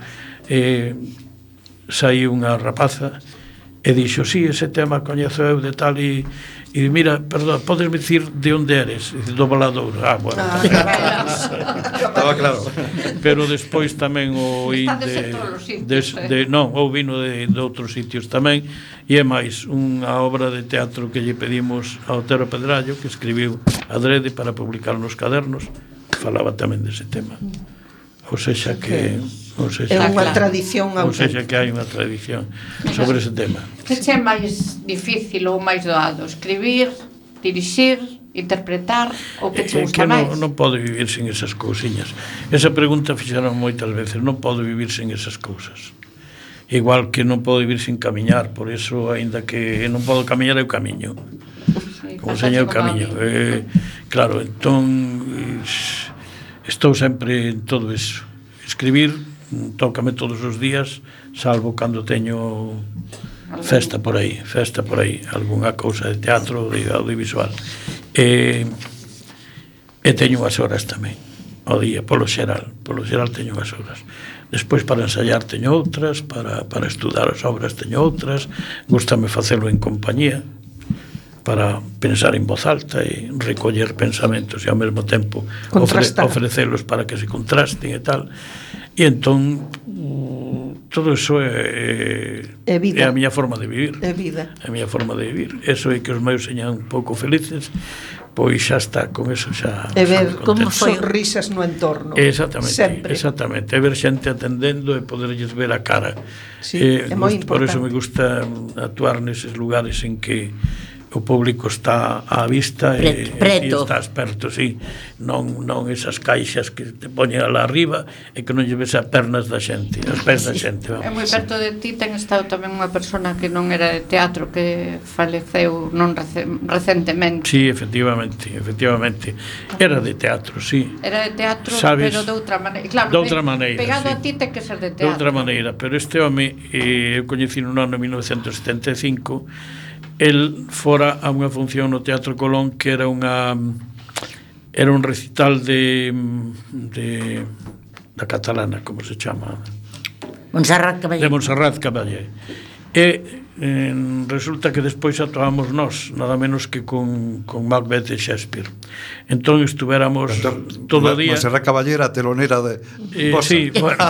Speaker 10: eh, saí unha rapaza e dixo, sí, ese tema coñezo eu de tal, e, e mira, perdón, podes dicir de onde eres? E do Valadouro. Ah, bueno, ah,
Speaker 5: estaba claro.
Speaker 10: Pero despois tamén o oí de, de, de, non, ou vino de, de outros sitios tamén, e é máis unha obra de teatro que lle pedimos a Otero Pedrallo, que escribiu adrede para publicar nos cadernos, falaba tamén dese tema. Ou sexa que ou sexa,
Speaker 3: é unha
Speaker 10: que,
Speaker 3: tradición
Speaker 10: ou sexa que hai unha tradición sobre ese tema.
Speaker 2: Que é máis difícil ou máis doado? Escribir, dirixir, interpretar o que che
Speaker 10: É
Speaker 2: gusta
Speaker 10: que
Speaker 2: máis?
Speaker 10: non, non podo vivir sin esas cousiñas. Esa pregunta fixeron moitas veces. Non podo vivir sin esas cousas. Igual que non podo vivir sin camiñar. Por eso, aínda que non podo camiñar, eu camiño.
Speaker 2: Sí,
Speaker 10: Como señor camiño. Eh, claro, entón estou sempre en todo eso. Escribir tócame todos os días, salvo cando teño festa por aí, festa por aí, algunha cousa de teatro, de audiovisual. E, e teño unhas horas tamén ao día, polo xeral, polo xeral teño unhas horas. Despois para ensayar teño outras, para, para estudar as obras teño outras, gústame facelo en compañía, para pensar en voz alta e recoller pensamentos e ao mesmo tempo ofre, ofrecelos para que se contrasten e tal. E entón todo iso é, é, é a miña forma de vivir.
Speaker 3: É vida.
Speaker 10: É a miña forma de vivir. Eso é que os meus señan un pouco felices, pois xa está, con eso xa.
Speaker 3: E ver como sonrisas no entorno.
Speaker 10: Exactamente,
Speaker 3: sempre.
Speaker 10: Exactamente. E ver xente atendendo e poderlles ver a cara.
Speaker 3: Sí,
Speaker 10: eh,
Speaker 3: é moi importante.
Speaker 10: Por eso me gusta actuar neses lugares en que o público está á vista e, e está esperto, sí. Non, non esas caixas que te poñen alá arriba e que non lle ves as pernas da xente, as pés da xente.
Speaker 2: É moi perto de ti ten estado tamén unha persona que non era de teatro, que faleceu non rece, recentemente.
Speaker 10: Sí, efectivamente, efectivamente. Era de teatro, sí.
Speaker 2: Era de teatro,
Speaker 10: ¿sabes?
Speaker 2: Pero de outra maneira. Claro,
Speaker 10: de outra maneira,
Speaker 2: pegado
Speaker 10: sí.
Speaker 2: A ti ten que ser de teatro.
Speaker 10: De outra maneira, pero este home, eh, eu coñeci no ano mil novecentos setenta e cinco, el fora a unha función no Teatro Colón que era unha era un recital de de da catalana, como se chama?
Speaker 7: Montserrat Caballé.
Speaker 10: De Montserrat Caballé. E eh, resulta que despois actuábamos nós, nada menos que con, con Macbeth e Shakespeare. Entón estuvéramos entón, todo o día.
Speaker 5: Montserrat Caballé era telonera de
Speaker 10: eh, sí, bueno,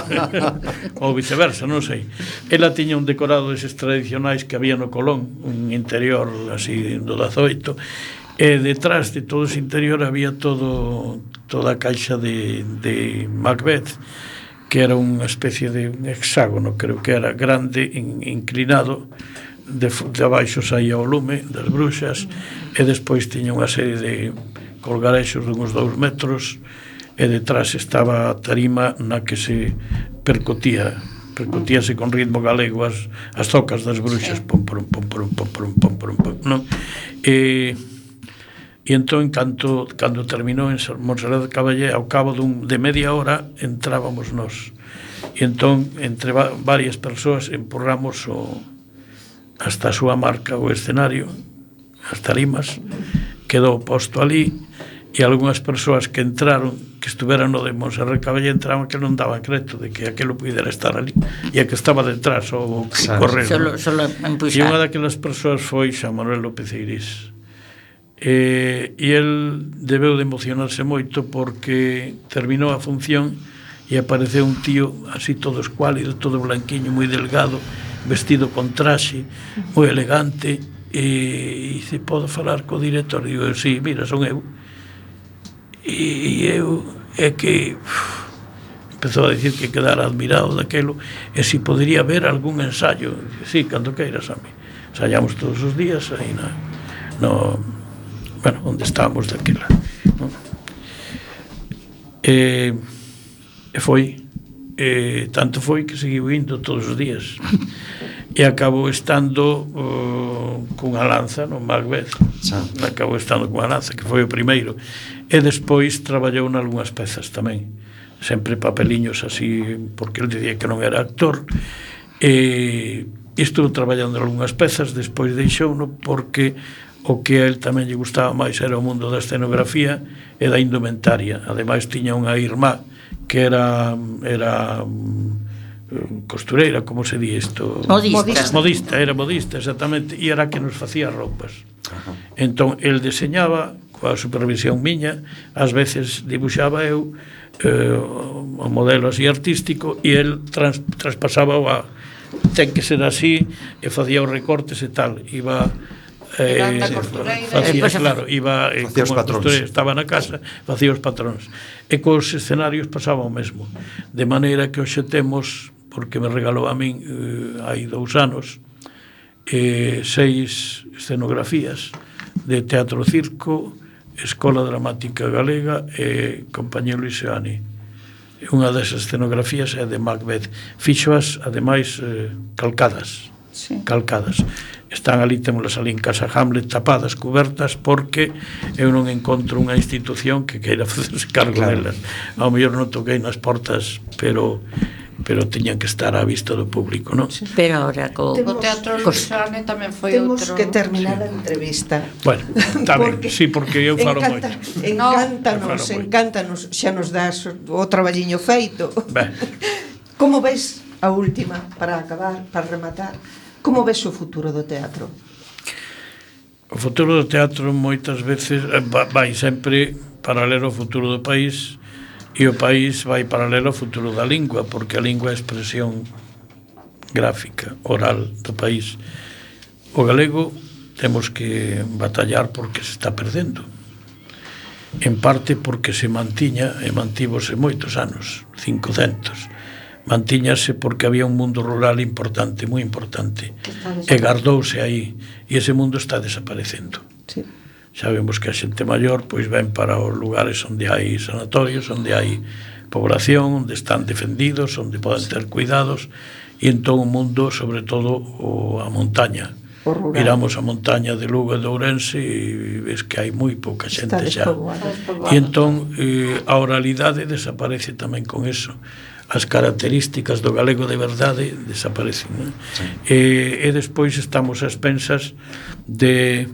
Speaker 10: ou viceversa, non sei. Ela tiña un decorado deses tradicionais que había no Colón, un interior así do dezaoito, e detrás de todo ese interior había todo toda a caixa de, de Macbeth, que era unha especie de hexágono, creo que era grande, in, inclinado, de, de abaixo saía o lume das bruxas, e despois tiña unha serie de colgarexos de uns dous metros, e detrás estaba a tarima na que se percutía, percutíase con ritmo galego as, as zocas das bruxas, pom, pom, pom, pom, pom, pom, pom, pom, pom, non? E... E entón, cando, cando terminou en Montserrat Caballé, ao cabo dun, de media hora, entrábamos nós. E entón, entre va, varias persoas, empurramos o, hasta a súa marca o escenario, as tarimas, quedou posto ali, e algunhas persoas que entraron, que estuveran no de Montserrat Caballé, entraban que non daban creto de que aquelo pudera estar ali, e a que estaba detrás, o que correr.
Speaker 7: Solo, solo
Speaker 10: e unha daquelas persoas foi Xa Manuel López Eirís. E, e el debeu de emocionarse moito porque terminou a función e apareceu un tío así todo escuálido, todo blanquiño, moi delgado, vestido con traxe, moi elegante, e dice, podo falar co director? Digo, sí, mira, son eu. E eu é que uf, empezou a dicir que quedara admirado daquelo e se si podería ver algún ensayo. Sí, cando queiras, a mí ensayamos todos os días aí na, no bueno, onde estábamos daquela, non? E, e foi e tanto foi que seguiu indo todos os días e acabou estando uh, cunha lanza no Macbeth, acabou estando cunha lanza, que foi o primeiro, e despois traballou nalgúnas pezas tamén, sempre papeliños así, porque ele dicía que non era actor, e estuvo traballando nalgúnas pezas, despois deixouno porque o que a él tamén lle gustaba máis era o mundo da escenografía e da indumentaria. Ademais tiña unha irmá que era era um, costureira, como se di isto?
Speaker 7: Modista.
Speaker 10: Modista, era modista, exactamente, e era que nos facía roupas. Ajá. Entón, el deseñaba coa supervisión miña, ás veces dibuixaba eu eh, o modelo así artístico e el trans, traspasaba o a ten que ser así e facía os recortes e tal, iba Eh, facía, claro, iba eh,
Speaker 5: facía os patróns,
Speaker 10: estaba na casa, facía os patróns, e cos escenarios pasaba o mesmo, de maneira que hoxe temos, porque me regalou a min eh, hai dous anos, eh, seis escenografías de teatro circo, Escola Dramática Galega e Compañía Luis Seoane. Unha das escenografías é de Macbeth. Fixoas, ademais, eh, calcadas. Sí. Calcadas. Están ali, temos ali en Casa Hamlet tapadas, cubertas, porque eu non encontro unha institución que queira facerse cargo claro. delas. Ao mellor non toquei nas portas, pero pero teñan que estar á vista do público, non?
Speaker 7: Sí. Pero ahora co,
Speaker 2: o Teatro Luis Seoane tamén foi
Speaker 3: temos
Speaker 2: outro.
Speaker 3: Temos que terminar a entrevista.
Speaker 10: Bueno, está ben, sí, porque eu falo
Speaker 3: encanta,
Speaker 10: moito.
Speaker 3: Encántanos,
Speaker 10: no,
Speaker 3: encántanos, xa nos das o traballiño feito.
Speaker 10: Ben.
Speaker 3: Como ves a última, para acabar, para rematar, como ves o futuro do teatro?
Speaker 10: O futuro do teatro moitas veces vai sempre paralelo ao futuro do país, e o país vai paralelo ao futuro da lingua, porque a lingua é a expresión gráfica, oral do país. O galego temos que batallar porque se está perdendo, en parte porque se mantiña e mantívose moitos anos, cincocentos. Mantíñase porque había un mundo rural importante, moi importante, e gardouse aí, e ese mundo está desaparecendo. Sí. Xa vemos que a xente maior pois ven para os lugares onde hai sanatorios, onde hai población, onde están defendidos, onde poden ter cuidados, e entón o mundo, sobre todo o, a montaña. Miramos a montaña de Lugo e de Ourense e ves que hai moi pouca xente xa. E entón eh, a oralidade desaparece tamén con eso. As características do galego de verdade desaparecen, non? Sí. E, e despois estamos a expensas de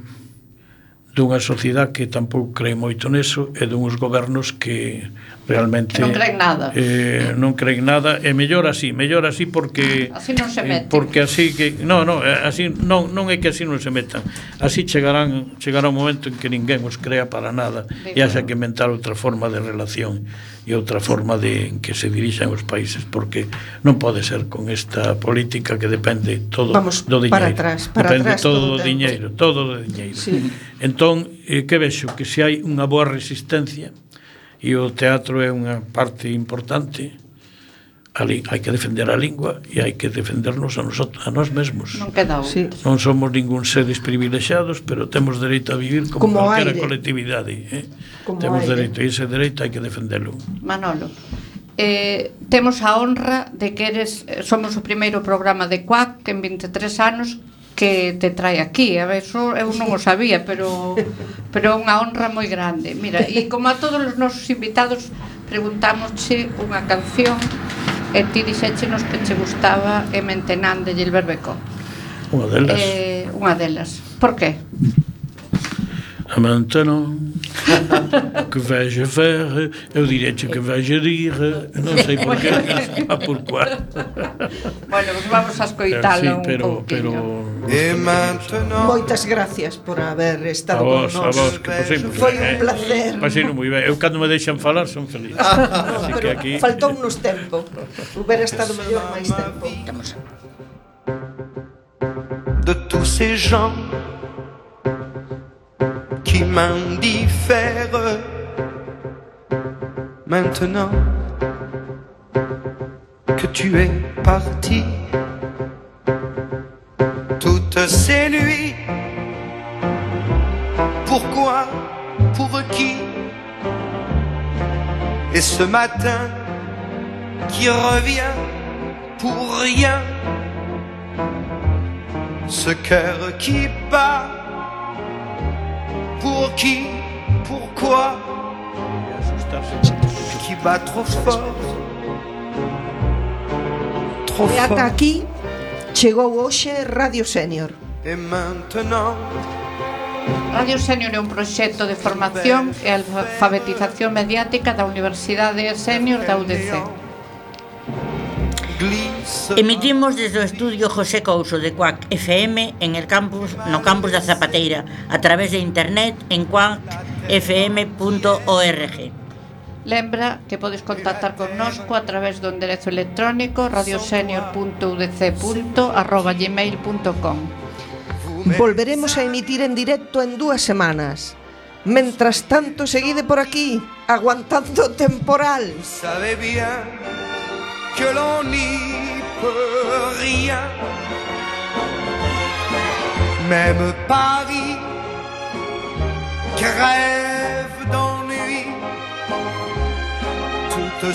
Speaker 10: dunha sociedade que tampouco cree moito neso e dunhos gobernos que realmente
Speaker 2: non creen nada
Speaker 10: eh, non creen nada e mellor así, mellor así porque
Speaker 2: así non se meten,
Speaker 10: eh, porque así que non, non, así non, non é que así non se metan, así chegarán chegará un momento en que ninguén os crea para nada e haxa que inventar outra forma de relación e outra forma de en que se dirixan os países, porque non pode ser con esta política que depende todo
Speaker 3: Vamos
Speaker 10: do diñeiro,
Speaker 3: para atrás, para
Speaker 10: depende
Speaker 3: atrás
Speaker 10: todo do
Speaker 3: todo
Speaker 10: diñeiro, todo do diñeiro. Sí. Entón, eh, que vexo? Que se hai unha boa resistencia e o teatro é unha parte importante, ali hai que defender a lingua e hai que defendernos a, nosotros, a nós mesmos.
Speaker 2: Non queda outro. Sí.
Speaker 10: Non somos ningún seres privilexiados, pero temos dereito a vivir como, como calquera colectividade. Eh? Temos aire. dereito, e ese dereito hai que defendelo.
Speaker 2: Manolo, eh, temos a honra de que eres, somos o primeiro programa de Cuac que en vinte e tres anos que te trae aquí. A ver, eso eu non o sabía, pero pero é unha honra moi grande. Mira, e como a todos os nosos invitados preguntámosche unha canción e ti dixéchenos que che gustaba e Mentenán de Gilbert Becó.
Speaker 10: Unha delas.
Speaker 2: Eh, unha delas. Por qué?
Speaker 10: A Maintenant, que vais-je faire? Eu direche que vais-je dire, non sei por qué, a por cuá.
Speaker 2: Bueno, pues vamos a escoitalo un
Speaker 10: pero,
Speaker 2: pouquinho.
Speaker 10: Pero...
Speaker 3: Moitas gracias por haber estado
Speaker 10: con
Speaker 3: nos.
Speaker 10: A vos, que posei moi ben.
Speaker 3: Foi un placer.
Speaker 10: Pasei moi ben. Eu cando me deixan falar son feliz.
Speaker 3: Ah, no, pero aquí... faltou uns tempo. Hubiera estado mellor máis tempo.
Speaker 11: De tous ces gens qui m'indiffèrent maintenant que tu es parti. Toutes ces nuits, pourquoi, pour qui? Et ce matin qui revient pour rien, ce cœur qui bat, pour qui, pourquoi, qui bat trop fort, trop
Speaker 3: fort. E ata aquí chegou hoxe Radio Senior.
Speaker 11: E maintenant
Speaker 2: Radio Senior é un proxecto de formación e alfabetización mediática da Universidade Senior da U D C.
Speaker 7: Emitimos desde o estudio José Couso de Cuac F M en el campus, no campus da Zapateira, a través de internet en cuac f m punto org.
Speaker 2: Lembra que podes contactar connosco a través do enderezo electrónico radiosenior punto u d c punto arroba gmail punto com.
Speaker 3: Volveremos a emitir en directo en dúas semanas. Mentras tanto, seguide por aquí, aguantando temporal.
Speaker 11: Sabe bien que l'on n'y peut rien, même Paris crève